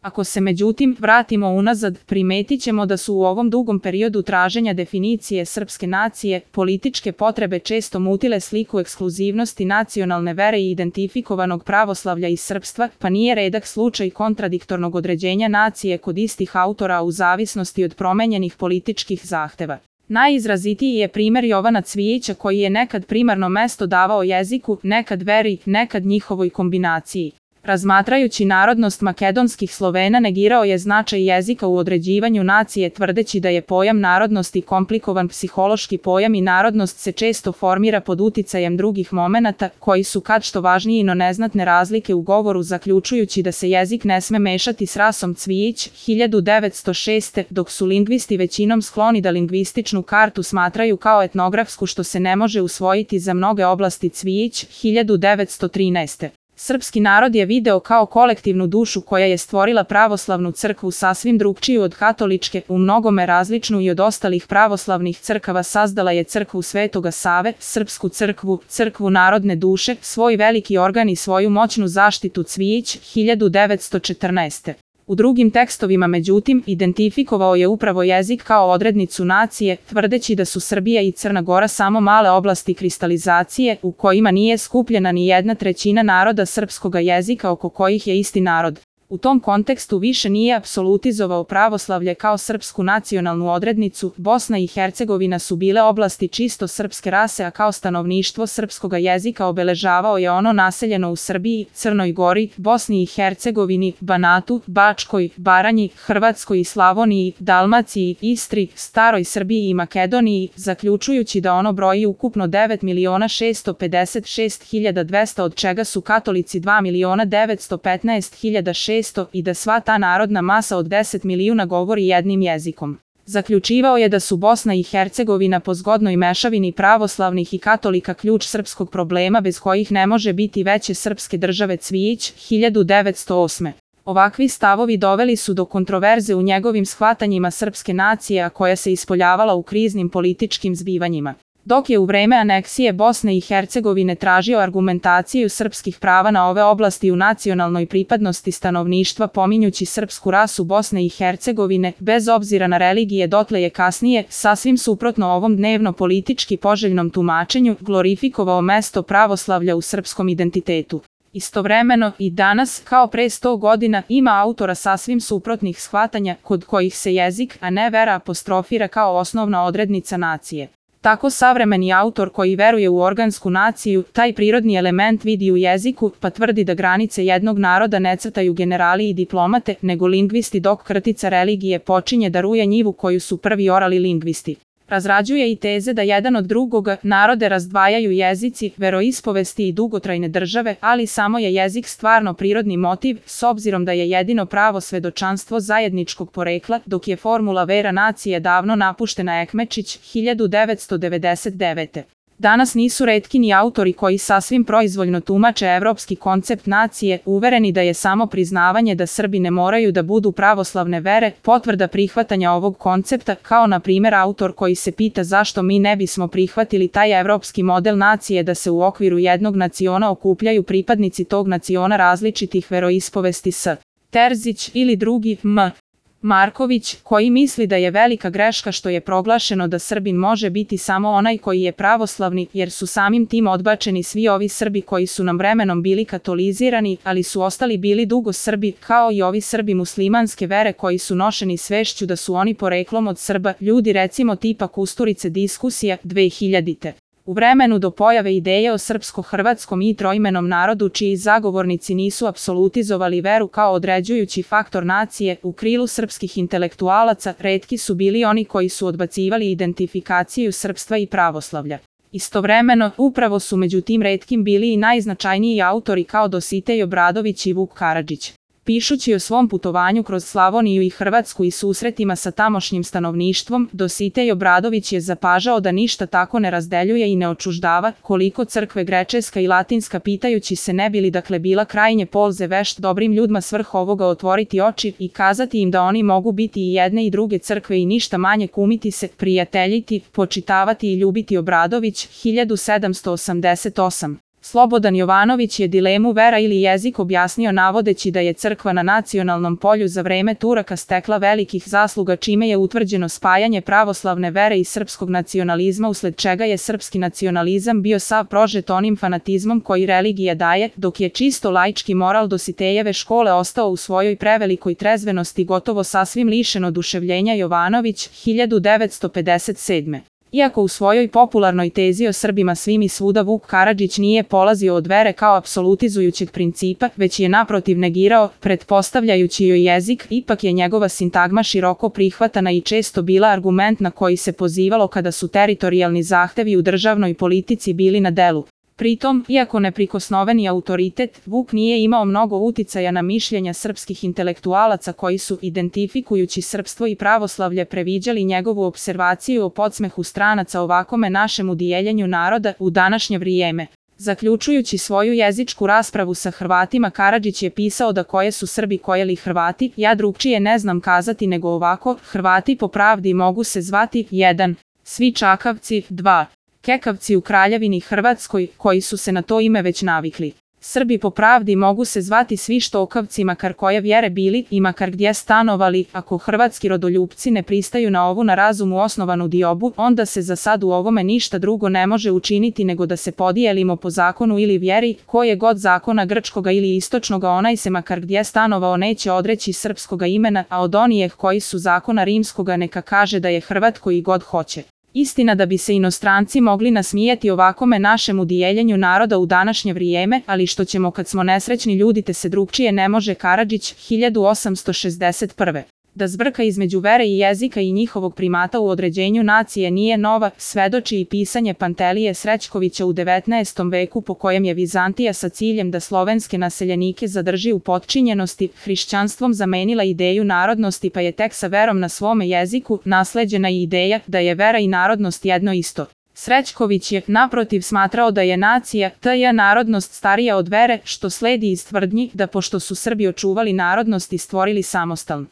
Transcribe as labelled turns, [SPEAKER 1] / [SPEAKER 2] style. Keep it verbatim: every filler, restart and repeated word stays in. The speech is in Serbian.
[SPEAKER 1] Ako se međutim vratimo unazad, primetit ćemo da su u ovom dugom periodu traženja definicije srpske nacije, političke potrebe često mutile sliku ekskluzivnosti nacionalne vere i identifikovanog pravoslavlja i srpstva, pa nije redak slučaj kontradiktornog određenja nacije kod istih autora u zavisnosti od promenjenih političkih zahteva. Najizrazitiji je primer Jovana Cvijića koji je nekad primarno mesto davao jeziku, nekad veri, nekad njihovoj kombinaciji. Razmatrajući narodnost makedonskih Slovena negirao je značaj jezika u određivanju nacije tvrdeći da je pojam narodnosti komplikovan psihološki pojam i narodnost se često formira pod uticajem drugih momenata koji su kad što važniji no neznatne razlike u govoru zaključujući da se jezik ne sme mešati s rasom. Cvijić, hiljadu devetsto šeste. Dok su lingvisti većinom skloni da lingvističnu kartu smatraju kao etnografsku što se ne može usvojiti za mnoge oblasti. Cvijić, hiljadu devetsto trinaeste. Srpski narod je video kao kolektivnu dušu koja je stvorila pravoslavnu crkvu sasvim drugčiju od katoličke, u mnogome različnu i od ostalih pravoslavnih crkava sazdala je crkvu Svetoga Save, srpsku crkvu, crkvu narodne duše, svoj veliki organ i svoju moćnu zaštitu. Cvijić, hiljadu devetsto četrnaeste. U drugim tekstovima međutim, identifikovao je upravo jezik kao odrednicu nacije, tvrdeći da su Srbija i Crna Gora samo male oblasti kristalizacije, u kojima nije skupljena ni jedna trećina naroda srpskoga jezika oko kojih je isti narod. U tom kontekstu više nije apsolutizovao pravoslavlje kao srpsku nacionalnu odrednicu, Bosna i Hercegovina su bile oblasti čisto srpske rase, a kao stanovništvo srpskoga jezika obeležavao je ono naseljeno u Srbiji, Crnoj Gori, Bosni i Hercegovini, Banatu, Bačkoj, Baranji, Hrvatskoj i Slavoniji, Dalmaciji, Istri, Staroj Srbiji i Makedoniji, zaključujući da ono broji ukupno devet miliona šesto pedeset šest hiljada dvesta, od čega su katolici dva miliona devetsto petnaest hiljada šesto i da sva ta narodna masa od deset milijuna govori jednim jezikom. Zaključivao je da su Bosna i Hercegovina po zgodnoj mešavini pravoslavnih i katolika ključ srpskog problema bez kojih ne može biti veće srpske države. Cvijić, hiljadu devetsto osme. Ovakvi stavovi doveli su do kontroverze u njegovim shvatanjima srpske nacije, a koja se ispoljavala u kriznim političkim zbivanjima. Dok je u vreme aneksije Bosne i Hercegovine tražio argumentaciju srpskih prava na ove oblasti u nacionalnoj pripadnosti stanovništva pominjući srpsku rasu Bosne i Hercegovine, bez obzira na religije, dotle je kasnije, sasvim suprotno ovom dnevno politički poželjnom tumačenju, glorifikovao mesto pravoslavlja u srpskom identitetu. Istovremeno, i danas, kao pre sto godina, ima autora sasvim suprotnih shvatanja, kod kojih se jezik, a ne vera apostrofira kao osnovna odrednica nacije. Tako savremeni autor koji veruje u organsku naciju, taj prirodni element vidi u jeziku, pa tvrdi da granice jednog naroda ne crtaju generali i diplomate, nego lingvisti, dok kratica religije počinje da ruje njivu koju su prvi orali lingvisti. Razrađuje i teze da jedan od drugoga narode razdvajaju jezici, veroispovesti i dugotrajne države, ali samo je jezik stvarno prirodni motiv, s obzirom da je jedino pravo svedočanstvo zajedničkog porekla, dok je formula vera nacije davno napuštena. Ekmečić, hiljadu devetsto devedeset devete. Danas nisu retki ni autori koji sasvim proizvoljno tumače evropski koncept nacije, uvereni da je samo priznavanje da Srbi ne moraju da budu pravoslavne vere potvrda prihvatanja ovog koncepta, kao na primjer autor koji se pita zašto mi ne bismo prihvatili taj evropski model nacije da se u okviru jednog naciona okupljaju pripadnici tog naciona različitih veroispovesti. S. Terzić ili drugi M. Marković, koji misli da je velika greška što je proglašeno da Srbin može biti samo onaj koji je pravoslavni, jer su samim tim odbačeni svi ovi Srbi koji su nam vremenom bili katolizirani, ali su ostali bili dugo Srbi, kao i ovi Srbi muslimanske vere koji su nošeni svešću da su oni poreklom od Srba, ljudi recimo tipa Kusturice. Diskusija, dve hiljadite. U vremenu do pojave ideje o srpsko-hrvatskom i troimenom narodu čiji zagovornici nisu apsolutizovali veru kao određujući faktor nacije, u krilu srpskih intelektualaca retki su bili oni koji su odbacivali identifikaciju srpstva i pravoslavlja. Istovremeno, upravo su među tim retkim bili i najznačajniji autori kao Dositej Obradović i Vuk Karadžić. Pišući o svom putovanju kroz Slavoniju i Hrvatsku i susretima sa tamošnjim stanovništvom, Dositej Obradović je zapažao da ništa tako ne razdeljuje i ne očuždava, koliko crkve grečeska i latinska, pitajući se ne bi li dakle bila krajnje polze vešt dobrim ljudima svrh ovoga otvoriti oči i kazati im da oni mogu biti i jedne i druge crkve i ništa manje kumiti se, prijateljiti, počitavati i ljubiti. Obradović, hiljadu sedamsto osamdeset osam. Slobodan Jovanović je dilemu vera ili jezik objasnio navodeći da je crkva na nacionalnom polju za vreme Turaka stekla velikih zasluga čime je utvrđeno spajanje pravoslavne vere i srpskog nacionalizma usled čega je srpski nacionalizam bio sav prožet onim fanatizmom koji religija daje, dok je čisto laički moral Dositejeve škole ostao u svojoj prevelikoj trezvenosti gotovo sasvim lišen oduševljenja. Jovanović, hiljadu devetsto pedeset sedme. Iako u svojoj popularnoj tezi o Srbima svim i svuda Vuk Karadžić nije polazio od vere kao apsolutizujućeg principa, već je naprotiv negirao, pretpostavljajući joj jezik, ipak je njegova sintagma široko prihvatana i često bila argument na koji se pozivalo kada su teritorijalni zahtevi u državnoj politici bili na delu. Pritom, iako neprikosnoveni autoritet, Vuk nije imao mnogo uticaja na mišljenja srpskih intelektualaca koji su, identifikujući srpstvo i pravoslavlje, previđali njegovu observaciju o podsmehu stranaca ovakome našemu dijeljenju naroda u današnje vrijeme. Zaključujući svoju jezičku raspravu sa Hrvatima, Karadžić je pisao da koje su Srbi koje li Hrvati, ja drugčije ne znam kazati nego ovako, Hrvati po pravdi mogu se zvati jedan. Svi čakavci, dva. Kekavci u Kraljevini Hrvatskoj, koji su se na to ime već navikli. Srbi po pravdi mogu se zvati svi štokavci makar koje vjere bili i makar gdje stanovali. Ako hrvatski rodoljupci ne pristaju na ovu na razumu osnovanu diobu, onda se za sad u ovome ništa drugo ne može učiniti nego da se podijelimo po zakonu ili vjeri, koje god zakona grčkoga ili istočnoga onaj se makar gdje stanovao neće odreći srpskoga imena, a od onijeh koji su zakona rimskoga neka kaže da je Hrvat koji god hoće. Istina da bi se inostranci mogli nasmijeti ovakome našemu dijeljenju naroda u današnje vrijeme, ali što ćemo kad smo nesrećni ljudi te se drugčije ne može. Karadžić, hiljadu osamsto šezdeset prve. Da zbrka između vere i jezika i njihovog primata u određenju nacije nije nova, svedoči i pisanje Pantelije Srećkovića u devetnaestom veku po kojem je Vizantija sa ciljem da slovenske naseljenike zadrži u potčinjenosti, hrišćanstvom zamenila ideju narodnosti pa je tek sa verom na svome jeziku nasleđena i ideja da je vera i narodnost jedno isto. Srećković je, naprotiv, smatrao da je nacija, tj. narodnost starija od vere, što sledi iz tvrdnji da pošto su Srbi očuvali narodnost i stvorili samostalnu